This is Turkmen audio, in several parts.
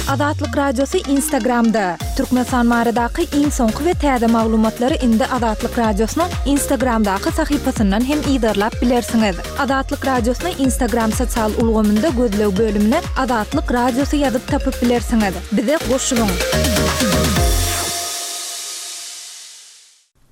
Azatlyk Radiosy Instagramda! Türkmenistan baradaky iň soňky we täze maglumatlary indi Azatlyk Radiosynyň Instagramdaky sahypasyndan hem yzarlap bilersiňiz. Azatlyk Radiosyny Instagram sosial ulgamynda gözleg bölümine Azatlyk Radiosy ýazyp tapyp bilersiňiz. Bize goşulyň!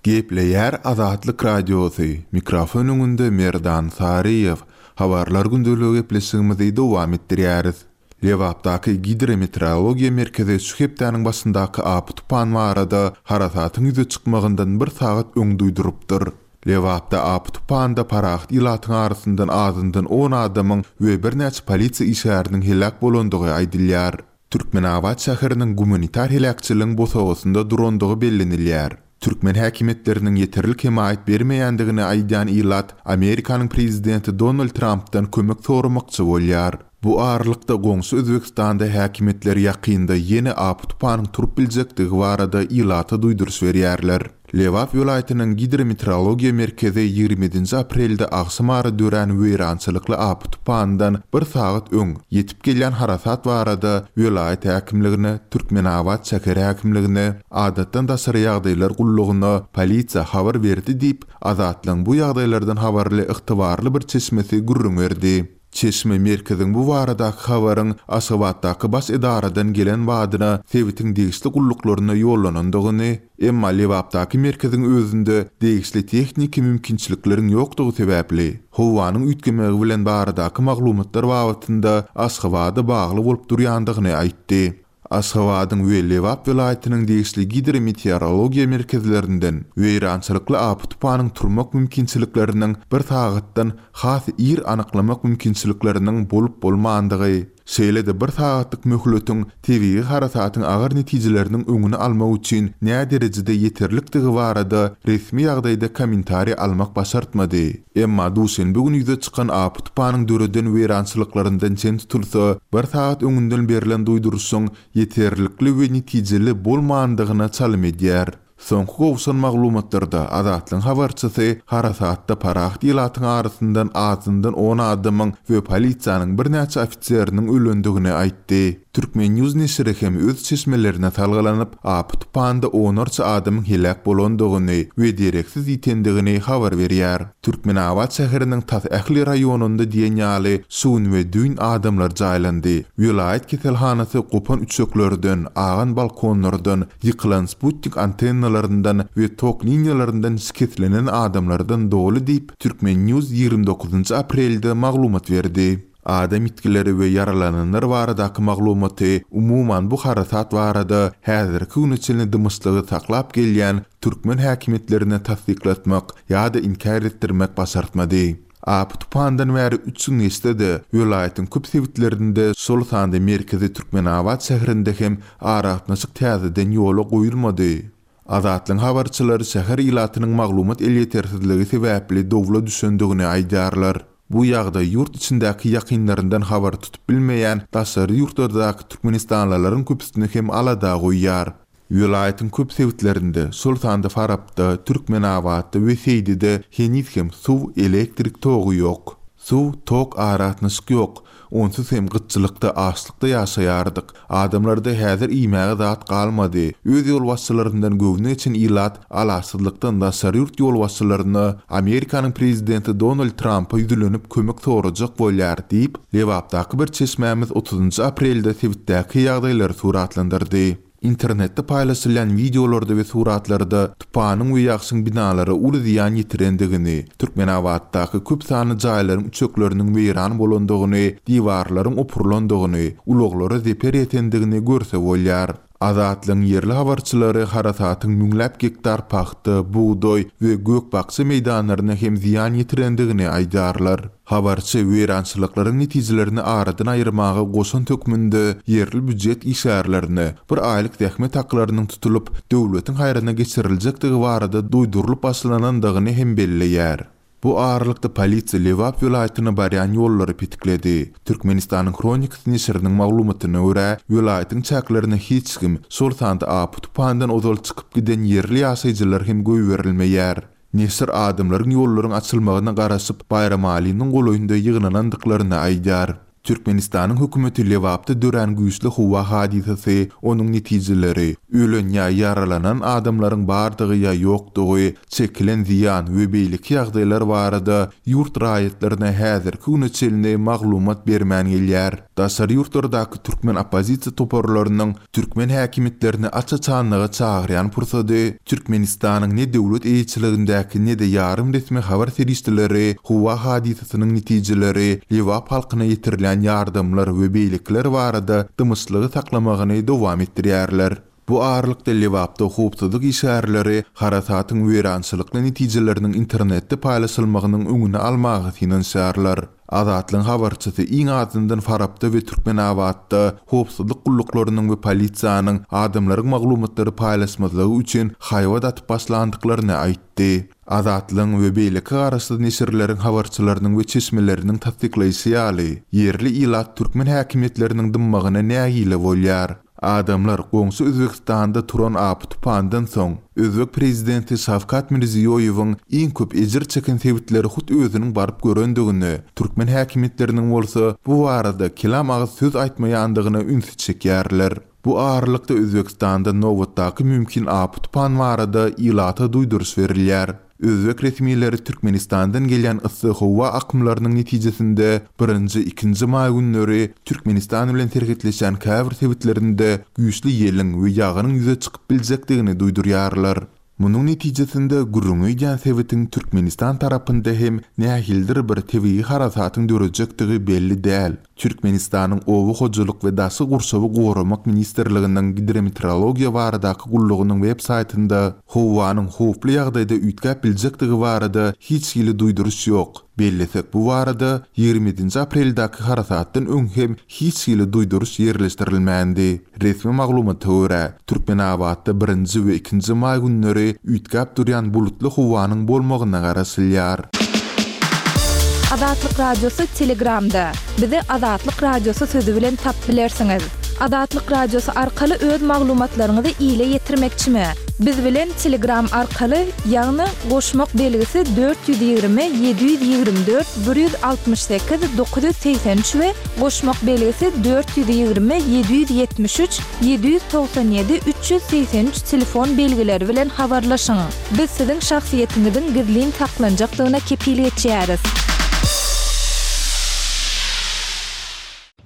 Gepleýär Azatlyk Radiosy, mikrofon öňünde Merdan Saryýew. Habarlar gündeligi gepleşigimizi dowam etdirýäris. Lebapdaky Gidrometeorologiýa merkezi şu hepdäniň başyndaky apy-tupan barada harasatyň ýüze çykmagyndan bir sagat öň duýdurypdyr. Lebapda apy-tupanda parahat ilatyň arasyndan azyndan on adamyň we birnäçe polisiýa işgäriniň heläk bolandygy aýdylýar. Türkmenabat şäheriniň gumanitar heläkçiligiň bosagasynda durandygy bellenilýär. Türkmen häkimiýetleriniň ýeterlik hemaýat bermeýändigini aýdýan ilat Amerikanyň prezidenti Donald Trampdan kömek soramakçy bolýar. Bu aralykda goňşy Özbegistanda häkimiýetler ýakynda ýene apy-tupanyň turup biljekdigi barada ilata duýduryş berýärler. Lebap welaýatynyň Gidrometeorologiýa merkezi 27 nji aprelde agşamara dörän weýrançylykly apy-tupandan bir sagat öň ýetip gelýän harasat barada welaýat häkimligine, Türkmenabat şäher häkimligine, Adatdan daşary ýagdaýlar gullugyna, polisiýa habar berdi diýip, Azatlygyň bu ýagdaýlardan habarly ygtybarly bir çeşmesi gürrüň berdi. Çeşme merkeziň bu baradaky habaryň Aşgabatdaky baş edaradan gelen badyna sebitiň degişli gulluklaryna ýollanandygyny, emma Lebapdaky merkeziň özünde degişli tehniki mümkinçilikleriň ýokdugy sebäpli, howanyň üýtgemegi bilen baradaky maglumatlar babatynda Aşgabada bagly bolup durýandygyny aýtdy. Aşgabadyň we Lebap welaýatynyň degişli gidrometeorologiýa merkezlerinden weýrançylykly apy-tupanyň turmak mümkinçilikleriniň bir sagatdan has ir anyklamak mümkinçilikleriniň bolup-bolmandygy, şeýle-de bir sagatlyk möhletiň tebigy harasatyň agyr netijeleriniň öňüni almak üçin näderejede ýeterlikdigi barada resmi ýagdaýda kommentariý almak başartmady. Emma duşenbe güni ýüze çykan apy-tupanyň döreden weýrançylyklaryndan çen tutulsa, bir sagat öňünden berlen duýduryşyň ýeterlikli we netijeli bolmandygyna çalym edýär. Soňky gowşan maglumatlarda Azatlygyň habarçysy harasatda parahat ilatyň arasyndan azyndan on adamyň we polisiýanyň birnäçe ofiseriniň ölendigini aýtdy. Turkmen. News neşiri hem öz çeşmelerine salgylanyp, apy-tupanda onlarça adamyň heläk bolandygyny we dereksiz ýitendigini habar berýär. Türkmenabat şäheriniň tas ähli raýonynda diýen ýaly şu gün we düýn adamlar jaýlandy. Welaýat keselhanasy gopan üçeklerden, agan balkonlardan, ýykylan sputnik antennalaryndan we tok liniýalaryndan şikeslenen adamlardan doly diýip, Turkmen. News 29 aprelde maglumat berdi. Adam ýitgileri we ýaralananlar baradaky maglumaty, umuman bu harasat barada häzirki güne çenli dymyşlygy saklap gelýän türkmen häkimiýetlerine tassyklatmak ýa-da inkär etdirmek başartmady. Apy-tupandan bäri üç gün geçse-de, welaýatyň köp sebitlerinde, şol sanda merkezi Türkmenabat şäherinde hem aragatnaşyk täzeden ýola goýulmady. Azatlygyň habarçylary şäher ilatynyň maglumat elýetersizligi sebäpli dowla düşendigini aýdýarlar. Bu ýagdaý ýurt içindäki ýakynlaryndan habar tutup bilmeýän daşary ýurtlardaky türkmenistanlylaryň köpüsini hem alada goýýar. Welaýatyň köp sebitlerinde, şol sanda Farapda, Türkmenabatda we Seýdide heniz hem suw, elektrik togy ýok. Suw, tok, aragatnaşyk ýok. Onsuz hem gytçylykda, açlykda ýaşaýardyk. Adamlarda häzir iýmäge zat galmady. Öz ýolbaşçylaryndan göwni geçen ilat alaçsyzlykdan daşary ýurt ýolbaşçylaryna, Amerikanyň prezidenti Donald Trampa ýüzlenip kömek sorajak bolýar diýip, Lebapdaky bir çeşmämiz otuzynjy aprelde sebitdäki ýagdaýlary suratlandyrdy. Internetde paýlaşylýan wideolarda we suratlarda tupanyň we ýagşyň binalara uly zyýan ýetirendigini, Türkmenabatdaky köp sanly jaýlaryň üçekleriniň weýran bolandygyny, diwarlaryň opurylandygyny, ulaglara zeper ýetendigini görse bolýar. Azatlygyň ýerli habarçylary harasatyň müňläp gektar pagta, bugdaý we gök-bakja meýdanlaryna hem zyýan ýetirendigini aýdýarlar. Habarçy weýrançylyklaryň netijelerini aradan aýyrmaga goşant hökmünde ýerli býujet işgärlerine bir aýlyk zähmet haklarynyň tutulyp, döwletiň haýryna geçiriljekdigi barada duýdurylyp başlanandygyny hem belleýär. Bu aralykda polisiýa Lebap welaýatyna barýan ýollary petikledi. Türkmenistanyň Hronikasy neşiriniň maglumatyna görä, welaýatyň çäklerine hiç kim, şol sanda apy-tupandan ozal çykyp giden ýerli ýaşaýjylar hem goýberilmeýär. Neşir adamlaryň ýollaryň açylmagyna garaşyp, Baýramalynyň golaýynda ýygnanandyklaryny aýdýar. Türkmenistanyň hökümeti Lebapda dörän güýçli howa hadysasy, onuň netijeleri, ölen ýa ýaralanan adamlaryň bardygy ýa ýokdugy, çekilen zyýan we beýleki ýagdaýlar barada ýurt raýatlaryna häzirki güne çenli maglumat bermän gelýär. Daşary ýurtlardaky türkmen oppozisiýa toparlarynyň Türkmen häkimiýetlerini aç-açanlyga çagyrýan pursady, Türkmenistanyň ne döwlet eýeçiligindäki ne-de ýarym resmi habar serişdeleri howa hadysasynyň netijeleri, Lebap halkyna ýetirilýän ýardamlar we beýlekiler barada dymyşlygy saklamagyny dowam etdirýärler. Bu aralykda Lebapda howpsuzlyk işgärleri harasatyň weýrançylykly netijeleriniň internetde paýlaşylmagynyň öňüni almaga synanyşýarlar. Azatlygyň habarçysy iň azyndan Farapda we Türkmenabatda howpsuzlyk gulluklarynyň we polisiýanyň adamlaryň maglumatlary paýlaşmazlygy üçin haýbat atyp başlandyklaryny aýtdy. Azatlygyň we beýleki garaşsyz neşirleriň habarçylarynyň we çeşmeleriniň tassyklaýşy ýaly, ýerli ilat türkmen häkimiýetleriniň dymmagyna nägile bolýar. Adamlar goňşy Özbegistanda turan apy-tupandan soň, özbek prezidenti Şawkat Mirziýoýewiň iň köp ejir çeken sebitleri hut özüniň baryp görendigine, türkmen häkimiýetleriniň bolsa bu barada kelam agyz söz aýtmaýandygyna ünsi çekýärler. Bu aralykda Özbegistanda nobatdaky mümkin apy-tupan barada ilata duýduryş berilýär. Özbek resmileri Türkmenistandan gelýän yssy howa akymlarynyň netijesinde birinji, ikinji maý günleri Türkmenistan bilen serhetleşýän käbir sebitlerinde güýçli ýeliň we ýagynyň ýüze çykyp biljekdigini duýdurýarlar. Munuň netijesinde gürrüňi edýän sebitiň Türkmenistan tarapynda hem nähilidir bir tebigy harasatyň dörejekdigi belli däl. Türkmenistanyň Oba hojalyk we daşky gurşawy goramak ministrliginiň Gidrometeorologiýa baradaky gullugynyň web saýtynda howanyň howply ýagdaýda üýtgäp biljekdigi barada hiç hili duýduryş ýok. Bellesek, bu barada 27-nji apreldäki harasatdan öň hem hiç hili duýduryş ýerleşdirilmändi. Resmi maglumata görä, Türkmenabatda birinji we ikinji maý günleri üýtgäp durýan bulutly howanyň bolmagyna garaşylýar. Azatlyk Radiosy Telegramda. Bizi Azatlyk Radiosy sözi bilen tapyp bilersiňiz. Azatlyk Radiosy arkaly öz maglumatlaryňyzy ile ýetirmekçimi? Biz bilen Telegram arkaly, ýagny goşmak belgisi 420 724 168 983 we goşmak belgisi 420 773 797 383 telefon belgileri bilen habarlaşyň. Biz siziň şahsyýetiňiziň gizlin saklanjakdygyna kepil geçýäris.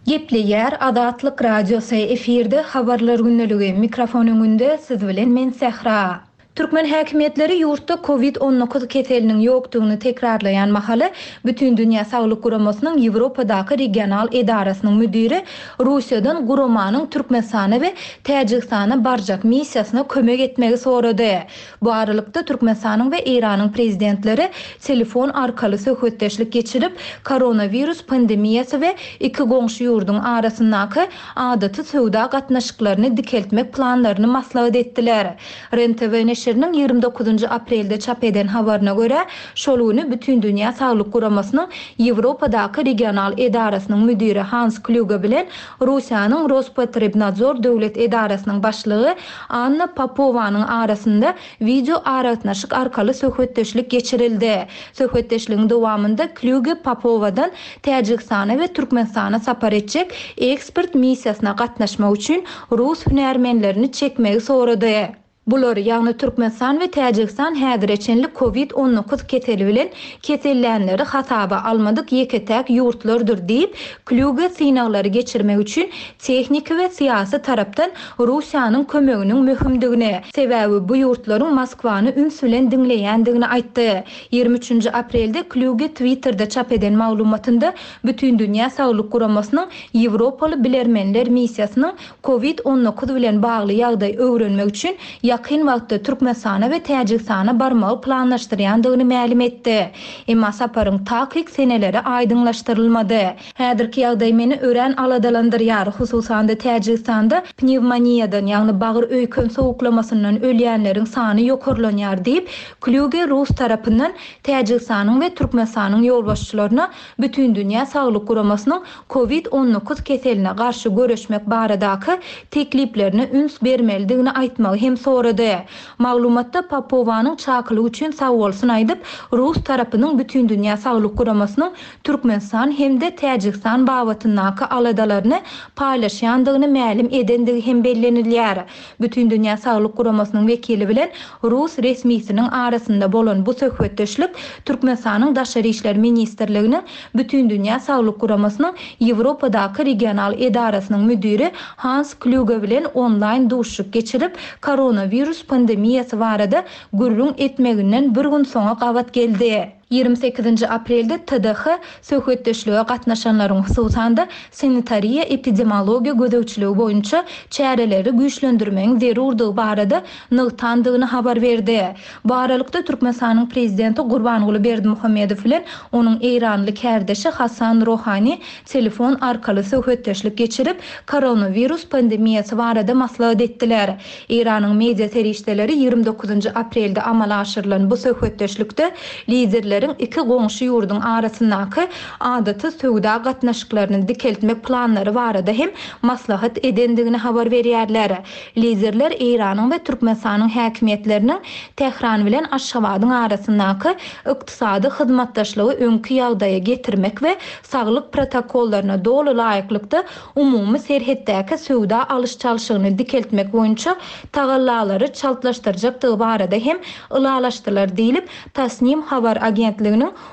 Gepleýär Azatlyk Radiosy, efirde Habarlar gündeligi, mikrofon öňünde siz bilen men Sähra. Türkmen häkimiýetleri ýurtda Covid 19 keseliniň ýokdugyny tekrarlaýan mahaly, Bütindünýä Saglyk Guramasynyň Ýewropadaky regional edarasynyň müdiri Russiýadan guramanyň Türkmenistana we Täjigistana barjak missiýasyna kömek etmegi sorady. Bu aralykda, Türkmenistanyň we Eýranyň prezidentleri telefon arkaly söhbetdeşlik geçirip, koronawirus pandemiýasy we iki goňşy ýurduň arasyndaky adaty söwda gatnaşyklaryny dikeltmek planlaryny maslahat etdiler. Ren-TV neşiriniň 29 aprelde çap eden habaryna görä, şol güni Bütindünýä Saglyk Guramasynyň Ýewropadaky regional edarasynyň müdiri Hans Klýuge bilen Russiýanyň Rospotrebnadzor döwlet edarasynyň başlygy Anna Popowanyň arasynda wideoaragatnaşyk arkaly söhbetdeşlik geçirildi. Söhbetdeşligiň dowamynda Klýuge Popowadan Täjigistana we Türkmenistana sapar etjek ekspert missiýasyna gatnaşmak üçin rus hünärmenlerini çekmegi sorady. Bular, ýagny Türkmenistan we Täjigistan häzire çenli Covid 19 keseli bilen kesellänleri hasaba almadyk ýeke-täk ýurtlardyr diýip, Klýuge synaglary geçirmek üçin tehniki we syýasy tarapdan Russiýanyň kömeginiň möhümdigini, sebäbi bu ýurtlaryň Moskwany üns bilen diňleýändigini aýtdy. 23-nji aprelde Klýuge Twitterde çap eden maglumatynda Bütindünýä Saglyk Guramasynyň Ýewropaly bilermenler missiýasynyň Covid 19 bilen bagly ýagdaý öwrenmek üçin ýakyn wagtda Türkmenistana we Täjigistana barmagy planlaşdyrýandygyny mälim etdi. Emma saparyň takyk seneleri aýdyňlaşdyrylmady. Häzirki ýagdaý meni örän aladalandyrýar, hususan-da Täjigistanda pnewmoniýadan, ýagny bagyr-öýken sowuklamasyndan ölýänleriň sany ýokarlanýar diýip, Klýuge rus tarapyndan Täjigistanyň we Türkmenistanyň ýolbaşçylaryna Bütindünýä Saglyk Guramasynyň Covid 19 keseline garşy göreşmek baradaky tekliplerine üns bermelidigini aýtmagy hem sorady. sorady. Maglumatda Popowanyň çakylyk üçin sagbolsun aýdyp, rus tarapynyň Bütindünýä Saglyk Guramasynyň Türkmenistan hem-de Täjigistan babatyndaky aladalaryny paýlaşýandygyny mälim edendigi hem bellenilýär. Bütindünýä Saglyk Guramasynyň wekili bilen rus resmisiniň arasynda bolan bu söhbetdeşlik Türkmenistanyň Daşary işler ministrliginiň Bütindünýä Saglyk Guramasynyň Ýewropadaky regional edarasynyň müdiri Hans Klýuge bilen onlaýn duşuşyk geçirip, koronawirus pandemiýasy barada gürrüň etmeginden bir gün soňa gabat geldi. 28-nji aprelde TDH söhbetdeşlige gatnaşanlaryň, hususan-da, sanitariýa-epidemiologiýa gözegçiligi boýunça çäreleri güýçlendirmegiň zerurdygy barada nygtandygyny habar berdi. Bu aralykda, Türkmenistanyň Prezidenti Gurbanguly Berdimuhamedow bilen onuň eýranly kärdeşi Hasan Rohani telefon arkaly söhbetdeşlik geçirip, koronawirus pandemiýasy barada maslahat etdiler. Eýranyň media serişdeleri 29-njy aprelde amala aşyrylan bu söhbetdeşlikde liderleriň iki goňşy ýurduň arasyndaky adaty söwda gatnaşyklaryny dikeltmek planlary barada hem maslahat edendigini habar berýärler. Liderler Eýranyň we Türkmenistanyň häkimiýetleriniň Tähran bilen Aşgabadyň arasyndaky ykdysady hyzmatdaşlygy öňki ýagdaýa getirmek we saglyk protokollaryna doly laýyklykda umumy serhetdäki söwda alyş-çalşygyny dikeltmek boýunça tagallalary çaltlaşdyrjakdygy barada hem ylalaşdylar diýlip, Tasnim habar agentliginiň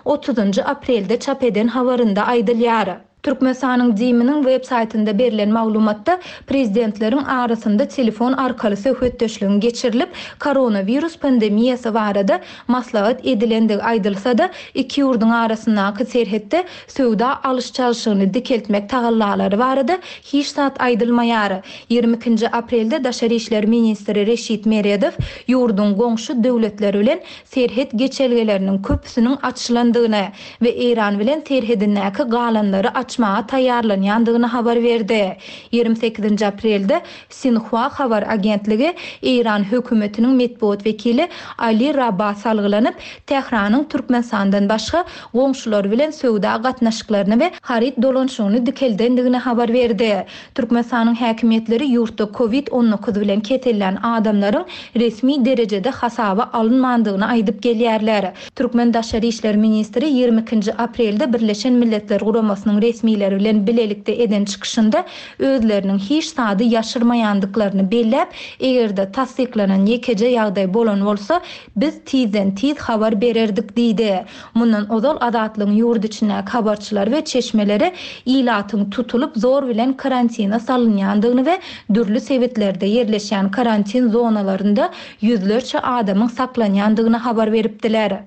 otuzynjy aprelde çap eden habarynda aýdylýar. Türkmenistanyň DIM-niň web saýtynda berlen maglumatda prezidentleriň arasynda telefon arkaly söhbetdeşligiň geçirilip, koronawirus pandemiýasy barada maslahat edilendigi aýdylsa-da, iki ýurduň arasyndaky serhetde söwda alyş-çalşygyny dikeltmek tagallalary barada hiç zat aýdylmaýar. 22-nji aprelde daşary işler ministri Reşit Meredow ýurduň goňşy döwletler bilen serhet geçelgeleriniň köpüsiniň açylandygyny we Eýran bilen serhedindäki galanlary açmaga taýýarlanýandygyny habar berdi. 28-nji aprelde Sinhua habar agentligi Eýran hökümetiniň metbugat wekili Ali Raba salgylanyp, Tähranyň Türkmenistandan başga goňşulary bilen söwda gatnaşyklaryny we haryt dolanyşygyny dikeldendigini habar berdi. Türkmenistanyň häkimiýetleri ýurtda Covid 19 bilen kesellän adamlaryň resmi derejede hasaba alynmandygyny aýdyp gelýärler. Türkmen daşary işler ministri 22-nji aprelde Birleşen Milletler Guramasynyň resmileri bilen bilelikde eden çykyşynda özleriniň hiç zady ýaşyrmaýandyklaryny belläp, eger-de tassyklanan ýekeje ýagdaý bolan bolsa, biz tizden-tiz habar bererdik diýdi. Mundan ozal Azatlygyň ýurt içindäki habarçylary we çeşmeleri ilatyň tutulyp, zor bilen karantine salynýandygyny we dürli sebitlerde ýerleşýän karantin zonalarynda ýüzlerçe adamyň saklanýandygyny habar beripdiler.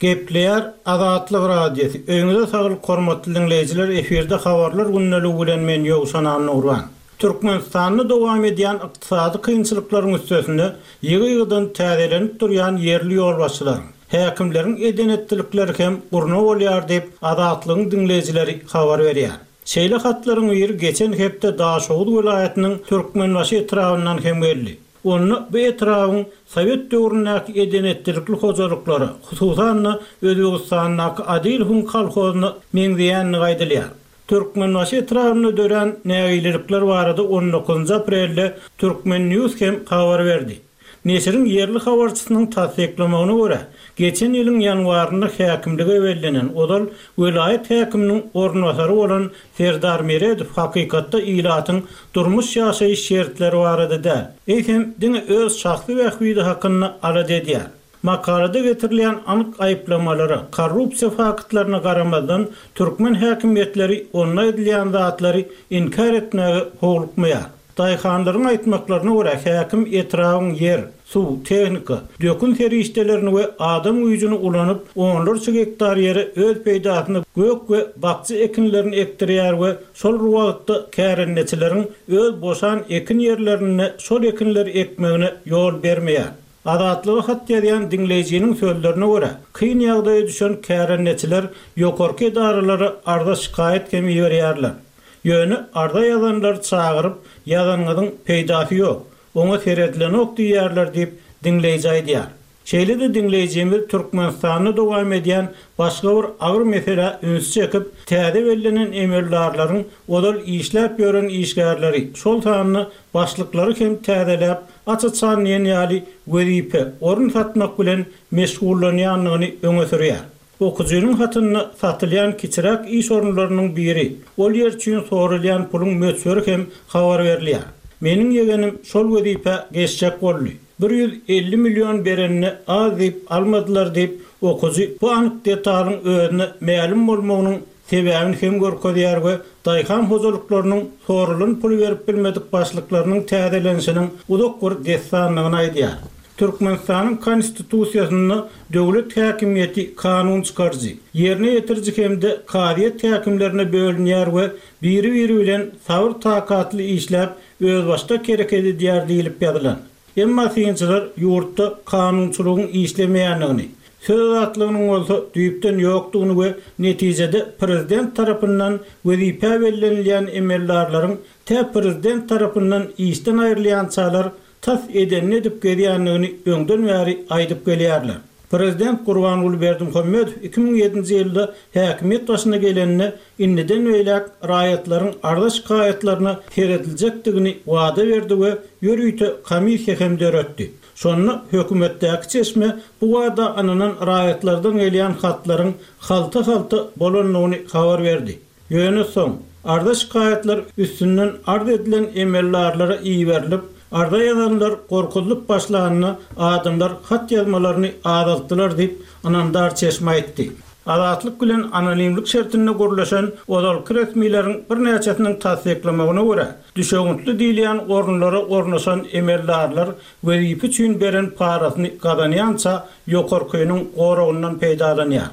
Gepleýär Azatlyk Radiosy, Öýüňize saglyk hormatly diňleýjiler efirde habarlar gündeligi bilen men Ýowşan Annagurban. Türkmenistanda dowam edýän ykdysady kynçylyklaryň üstesine ýygy-ýygydan täzelenip durýan ýerli ýolbaşçylaryň, häkimleriň eden-etdilikleri hem gurna bolýar diýip, Azatlygyň diňleýjileri habar berýär. Şeýle hatlaryň biri geçen hepde Daşoguz welaýatynyň Türkmenbaşy etrabyndan hem geldi. Onda bu etrabyň sowet döwründäki eden-etdilikli hojalyklara, hususan-da, Özbegistandaky Adilowyň kolhozyna meňzeýändigi aýdylýar. Türkmenbaşy etrabynda dörän nägilelikler barada on dokuzynjy aprelde Turkmen. News hem habar berdi. Neşiriň ýerli habarçysynyň tassyklamagyna görä, geçen ýylyň ýanwarynda häkimlige bellenen, ozal welaýat häkiminiň orunbasary bolan Serdar Meredow hakykatda ilatyň durmuş-ýaşaýyş şertleri barada däl, eýsem, diňe öz şahsy bähbidi hakynda alada edýär. Makalada getirilýän anyk aýyplamalara, korrupsiýa faktlaryna garamazdan, türkmen häkimiýetleri onda aýdylýan zatlary inkär etmäge howlukmaýar. Daýhanlaryň aýtmaklaryna görä, häkim etrabyň ýer, suw, tehnika, dökün serişdelerini we adam güýjüni ulanyp, onlarça gektar ýere öz peýdasyna gök we bakja ekinlerini ekdirýär we şol bir wagtda kärendeçileriň öz boşan ekin ýerlerinde şol ekinleri ekmegine ýol bermeýär. Azatlyga hat ýazýan diňleýjiniň sözlerine görä, kyn ýagdaýa düşen kärendeçiler ýokarky edaralara arza-şikaýat hem iberýärler. Ýöne arza ýazanlary çagyryp, ýazanyňyzyň peýdasy ýok, oňa seredilenok diýýärler diýip, diňleýji aýdýar. Şeýle-de diňleýjimiz Türkmenistanda dowam edýän başga bir agyr meselä ünsi çekip, täze bellenen emeldarlaryň ozal işläp ýören işgärleri, şol sanda başlyklary hem täzeläp, aç-açan diýen ýaly wezipe, orun satmak bilen meşgullanýandygyny öňe sürýär. Okyjynyň hatynda satylýan kiçiräk iş orunlarynyň biri, ol ýer üçin soralýan puluň möçberi hem habar berilýär. Meniň ýegenim şol wezipä geçjek boldy. 150 million berenine az diýip almadylar diýip, okyjy bu anyk detalyň özüne mälim bolmagynyň sebäbini hem görkezýär we daýhan hojalyklarynyň soralan puly berip bilmedik başlyklarynyň täzelenişiniň uzak bir dessandygyny aýdýar. Türkmenistanyň Konstitusiýasynda döwlet häkimiýeti kanun çykaryjy, ýerine ýetiriji hem-de kazyýet häkimlerine bölünýär we biri-biri bilen sabyr-takatly işläp, özbaşdak hereket edýär diýlip ýazylan. Emma synçylar ýurtda kanunçylygyň işlemeýändigini, söz azatlygynyň bolsa düýpden ýokdugyny we netijede prezident tarapyndan wezipä bellenilýän emeldarlaryň tä prezident tarapyndan işden aýrylýançalar tas edenini edip gezýändigini öňden bäri aýdyp gelýärler. Prezident Gurbanguly Berdimuhamedow 2007-nji ýylda häkimiýet başyna gelende indiden beýläk raýatlaryň arza-şikaýatlaryna serediljekdigini wada berdi we ýörite komissiýa hem döretdi. Şonda hökümetdäki çeşme bu wada ynanan raýatlardan gelýän hatlaryň halta-halta bolandygyny habar berdi. Ýöne soň, arza-şikaýatlar üstünden arz edilen emeldarlara iberilip, arza ýazanlar gorkuzylyp başlanda adamlar hat ýazmalaryny azaltdylar diýip, ynamdar çeşme aýtdy. Azatlyk bilen anonimlik şertinde gürleşen ozalky resmileriň birnäçesiniň tassyklamagyna görä, düşewüntli diýilýän orunlara ornaşan emeldarlar wezipe üçin beren parasyny gazanýança ýokarkynyň goragyndan peýdalanýar.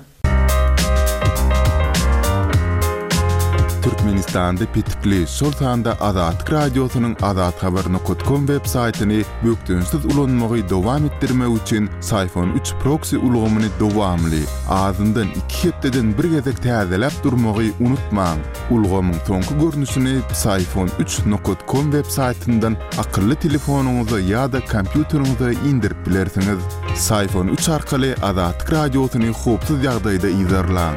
Türkmenistanda petikli, şol sanda Azatlyk Radiosynyň azathabar nokat kom web saýtyny bökdençsiz ulanmagy dowam etdirmek üçin Syfon üç proksi ulgamyny dowamly, azyndan iki hepdeden bir gezek täzeläp durmagy unutmaň. Ulgamyň soňky görnüşini Psiphon üç nokat kom web saýtyndan akylly telefonyňyza ýa-da kompýuteriňize indirip bilersiňiz. Psiphon üç arkaly Azatlyk Radiosyny howpsuz ýagdaýda yzarlaň.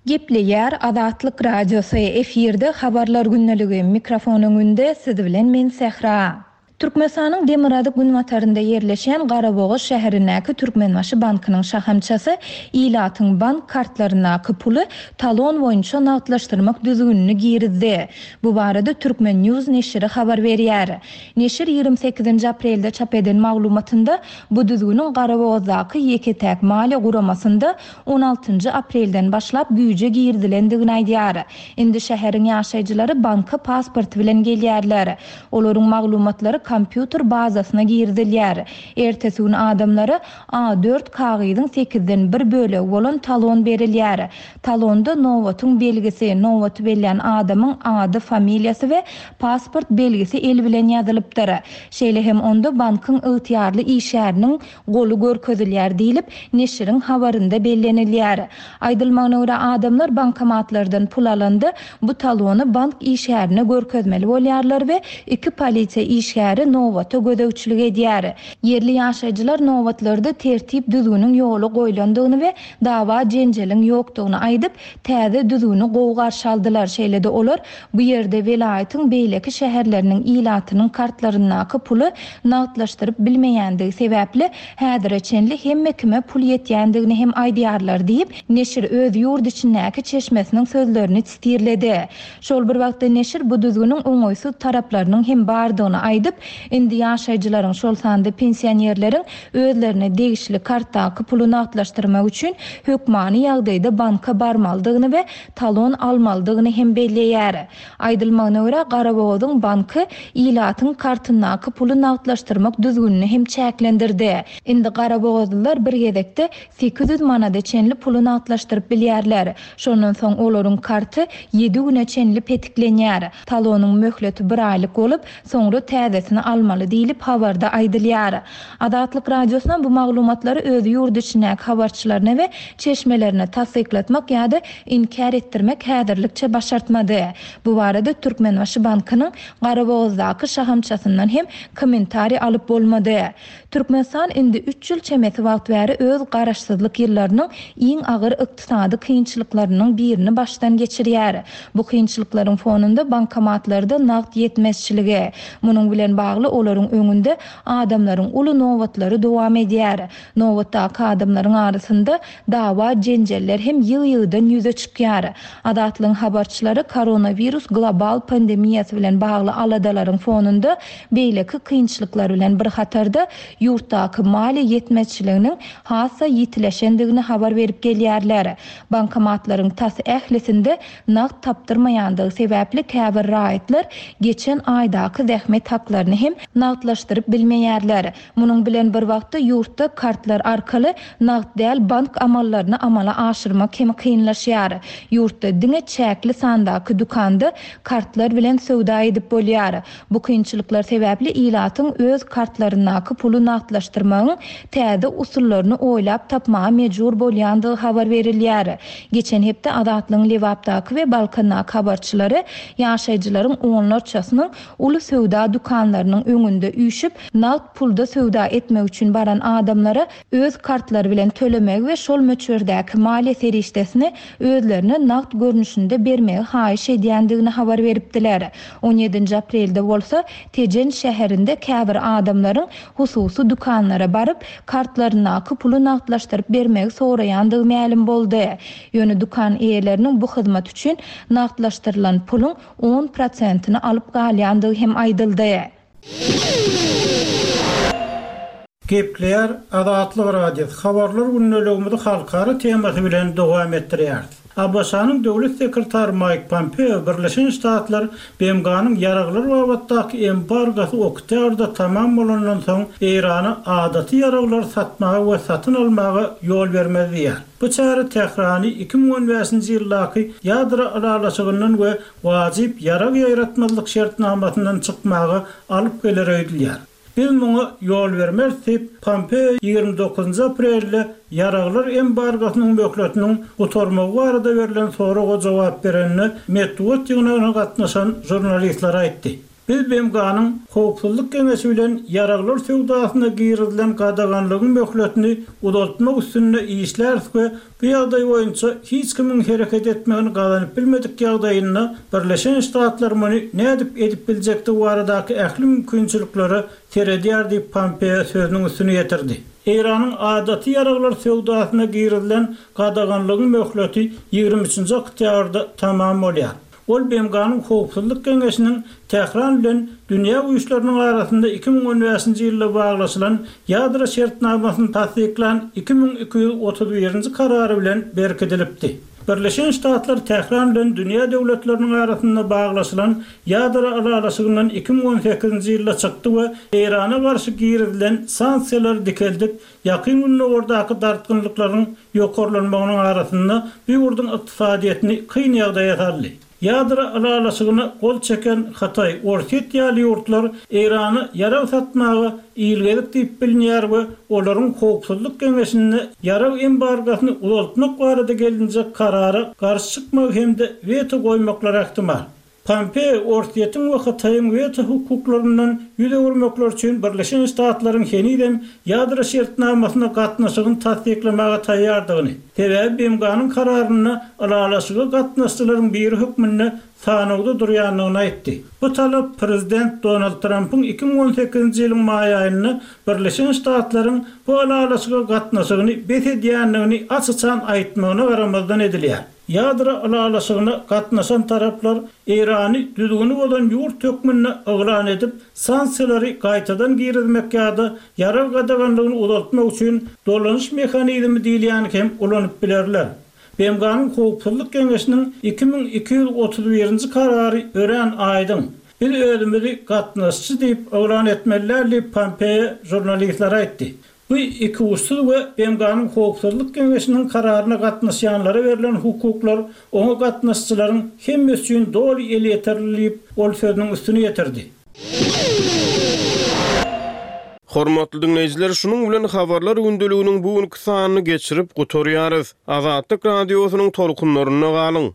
Gepleýär Azatlyk Radiosy, efirde Habarlar gündeligi, mikrofon öňünde siz bilen men Sähra. Türkmenistanyň demirgazyk-günbatarynda ýerleşýän Garabogaz şäherindäki Türkmenbaşy bankynyň şahamçasy ilatyň bank kartlaryndaky puly talon boýunça nagtlaşdyrmak düzgünini girizdi. Bu barada Turkmen. News neşiri habar berýär. Neşir 28-nji aprelde çap eden maglumatynda bu düzgüniň Garabogazdaky ýeke-täk maliýe guramasynda on altynjy aprelden başlap güýje girizilendigini aýdýar. Indi şäheriň ýaşaýjylary banka pasporty bilen gelýärler. Olaryň maglumatlary kompýuter bazasyna girizilýär. Ertesi gün adamlara A dört kagyzyň sekizden bir bölegi bolan talon berilýär. Talonda nobatyň belgisi, nobaty bellän adamyň ady, familiýasy we pasport belgisi el bilen ýazylypdyr. Şeýle hem onda bankyň ygtyýarly işgäriniň goly görkezilýär diýlip, neşiriň habarynda bellenilýär. Aýdylmagyna görä, adamlar bankomatlardan pul alanda, bu talony bank işgärine görkezmeli bolýarlar we iki polisiýa işgäri nobata gözegçilik edýär. Ýerli ýaşaýjylar nobatlarda tertip-düzgüniň ýola goýlandygyny we dawa-jenjeliň ýokdugyny aýdyp, täze düzgüni gowy garşy aldylar. Şeýle-de olar bu ýerde welaýatyň beýleki şäherleriniň ilatynyň kartlaryndaky puly nagtlaşdyryp bilmeýändigi sebäpli, häzire çenli hemme kime pul ýetýändigini hem aýdýarlar diýip, neşir öz ýurt içindäki çeşmesiniň sözlerini sitirledi. Şol bir wagtda neşir bu düzgüniň oňaýsyz taraplarynyň hem bardygyny aýdyp, indi ýaşaýjylaryň, şol sanda pensionerleriň özlerine degişli kartdaky puly nagtlaşdyrmak üçin hökmany ýagdaýda banka barmalydygyny we talon almalydygyny hem belleýär. Aýdylmagyna görä, Garabogazyň banky ilatyň kartyndaky puly nagtlaşdyrmak düzgünini hem çäklendirdi. Indi garabogazlylar bir gezekde 800 manada çenli puly nagtlaşdyryp bilýärler. Şondan soň olaryň karty ýedi güne çenli petiklenýär. Talonyň möhleti bir aýlyk bolup, soňra täzesini. serişdesini almaly diýlip, habarda aýdylýar. Azatlyk Radiosyna bu maglumatlary öz ýurt içindäki habarçylaryna we çeşmelerine tassyklatmak ýa-da inkär etdirmek häzirlikçe başartmady. Bu barada Türkmenbaşy bankynyň Garabogazdaky şahamçasyndan hem kommentariý alyp bolmady. Türkmenistan indi üç ýyl çemesi wagt bäri öz garaşsyzlyk ýyllarynyň iň agyr ykdysady kynçylyklarynyň birini başdan geçirýär. Bu kynçylyklaryň fonunda bankomatlarda nagt ýetmezçiligi, munuň bilen bagly olaryň öňünde adamlaryň uly nobatlary dowam edýär. Nobatdaky adamlaryň arasynda dawa-jenjeller hem ýygy-ýygydan ýüze çykýar. Azatlygyň habarçylary koronawirus global pandemiýasy bilen bagly aladalaryň fonunda beýleki kynçylyklar bilen bir hatarda ýurtdaky maliýe ýetmezçiliginiň has-da ýitileşendigini habar berip gelýärler. Bankomatlaryň tas ählisinde nagt tapdyrmaýandygy sebäpli käbir raýatlar geçen aýdaky zähmet haklaryny hem nagtlaşdyryp bilmeýärler. Munuň bilen bir wagtda ýurtda kartlar arkaly nagt däl bank amallaryny amala aşyrmak hem kynlaşýar. Ýurtda diňe çäkli sandaky dükanda kartlar bilen söwda edip bolýar. Bu kynçylyklar sebäpli ilatyň öz kartlaryndaky puly nagtlaşdyrmagyň täze usullaryny oýlap tapmaga mejbur bolýandygy habar berilýär. Geçen hepde Azatlygyň Lebapdaky we Balkandaky habarçylary ýaşaýjylaryň onlarçasynyň uly söwda dükanlarynyň öňünde üýşüp, nagt pulda söwda etmek üçin baran adamlara öz kartlary bilen tölemegi we şol möçberdäki maliýe serişdesini özlerine nagt görnüşinde bermegi haýyş edýändigini habar beripdiler. On ýedinji aprelde bolsa, Tejen şäherinde käbir adamlaryň hususy dükanlara baryp, kartlaryndaky puly nagtlaşdyryp bermegi soraýandygy mälim boldy. Ýöne dükan eýeleriniň bu hyzmat üçin nagtlaşdyrylan puluň on prosentini alyp galýandygy hem aýdyldy. Gepleýär Azatlyk Radiosy, Habarlar gündeligimizi halkara temasy bilen dowam etdirýäris. ABŞ-nyň Döwlet sekretary Maýk Pompeo Birleşen Ştatlar BMG-niň ýaraglar babatdaky embargosy oktýabrda tamam bolandan soň Eýrana adaty ýaraglary satmaga we satyn almaga ýol bermez diýýär. Bu çäre Tährany 2015-nji ýyldaky ýadro ylalaşygyndan we wajyp ýarag ýaýratmazlyk şertnamasyndan çykmaga alyp geler öýdülýär. Biz muňa ýol bermeris diýip, Pompeo 29 aprelde ýaraglar embargosynyň möhletiniň gutarmagy barada berlen soraga jogap berende metbugat ýygnagyna gatnaşan žurnalistlere aýtdy. Biz BMG-niň Howpsuzlyk Geňeşi bilen ýaraglar söwdasyna girizilen gadaganlygyň möhletini uzaltmak üstünde işläris we bu ýagdaý boýunça hiç kimiň hereket etmegini gazanyp bilmedik ýagdaýynda Birleşen Ştatlar muny nädip edip biljekdigi baradaky ähli mümkinçiliklere seredýär diýip Pompeo sözüniň üstüni ýetirdi. Eýranyň adaty ýaraglar söwdasyna girizilen gadaganlygyň möhleti 23-nji oktýabrda tamam bolýar. Ol BMG-niň Howpsuzlyk Geňeşiniň Tähran bilen dünýä güýçleriniň arasynda 2015-nji ýylda baglaşylan ýadro şertnamasyny tassyklan 2231-nji karary bilen berkidilipdi. Birleşen Ştatlar Tähran bilen dünýä döwletleriniň arasynda baglaşylan ýadro ylalaşygyndan 2018-nji ýylda çykdy we Eýrana garşy girizilen sanksiýalary dikeldip, Ýakyn Gündogardaky dartgynlyklaryň ýokarlanmagynyň arasynda bu ýurduň ykdysadyýetini kyn ýagdaýa saldy. Ýadro ylalaşygyna gol çeken Hytaý, Orsýet ýaly ýurtlar Eýrana ýarag satmaga ilgezik diýip bilinýär we olaryň Howpsuzlyk Geňeşinde ýarag embargosyny uzaltmak barada gelinjek karara garşy çykmagy hem-de weto goýmaklary ähtimal. Pompeo Orsýetiň we Hytaýyň weto hukuklaryndan ýüz öwürmekleri üçin Birleşen Ştatlaryň henizem ýadro şertnamasyna gatnaşygyny tassyklamaga taýýardygyny, sebäbi BMG-niň kararynda ylalaşyga gatnaşyjylaryň biri hökmünde sanawda durýandygyny aýtdy. Bu talap prezident Donald Trampyň 2018-nji ýylyň maý aýynda Birleşen Ştatlaryň bu ylalaşyga gatnaşygyny bes edýändigini aç-açan aýtmagyna garamazdan edilýär. Ýadro ylalaşygyna gatnaşan taraplar Eýrany düzgüni bozan ýurt hökmünde yglan edip, sanksiýalary gaýtadan girizmek ýa-da ýarag gadaganlygyny uzaltmak üçin dolanyş mehanizmi diýilýäni hem ulanyp bilerler. BMG-niň Howpsuzlyk Geňeşiniň 2231-nji karary örän aýdyň. Biz özümizi gatnaşyjy diýip yglan etmeli däl diýip, Pompeo žurnalistlere aýtdy. Bu ikuçsuz we BMG-niň Howpsuzlyk Geňeşiniň kararyna gatnaşýanlara berlen hukuklar oňa gatnaşyjylaryň hemmesi üçin doly elýeterli diýip, ol sözüniň üstüni ýetirdi. Hormatly diňleýjiler, şunuň bilen Habarlar gündeliginiň bu günki sanyny geçirip gutarýarys. Azatlyk Radiosynyň tolkunlarynda galyň!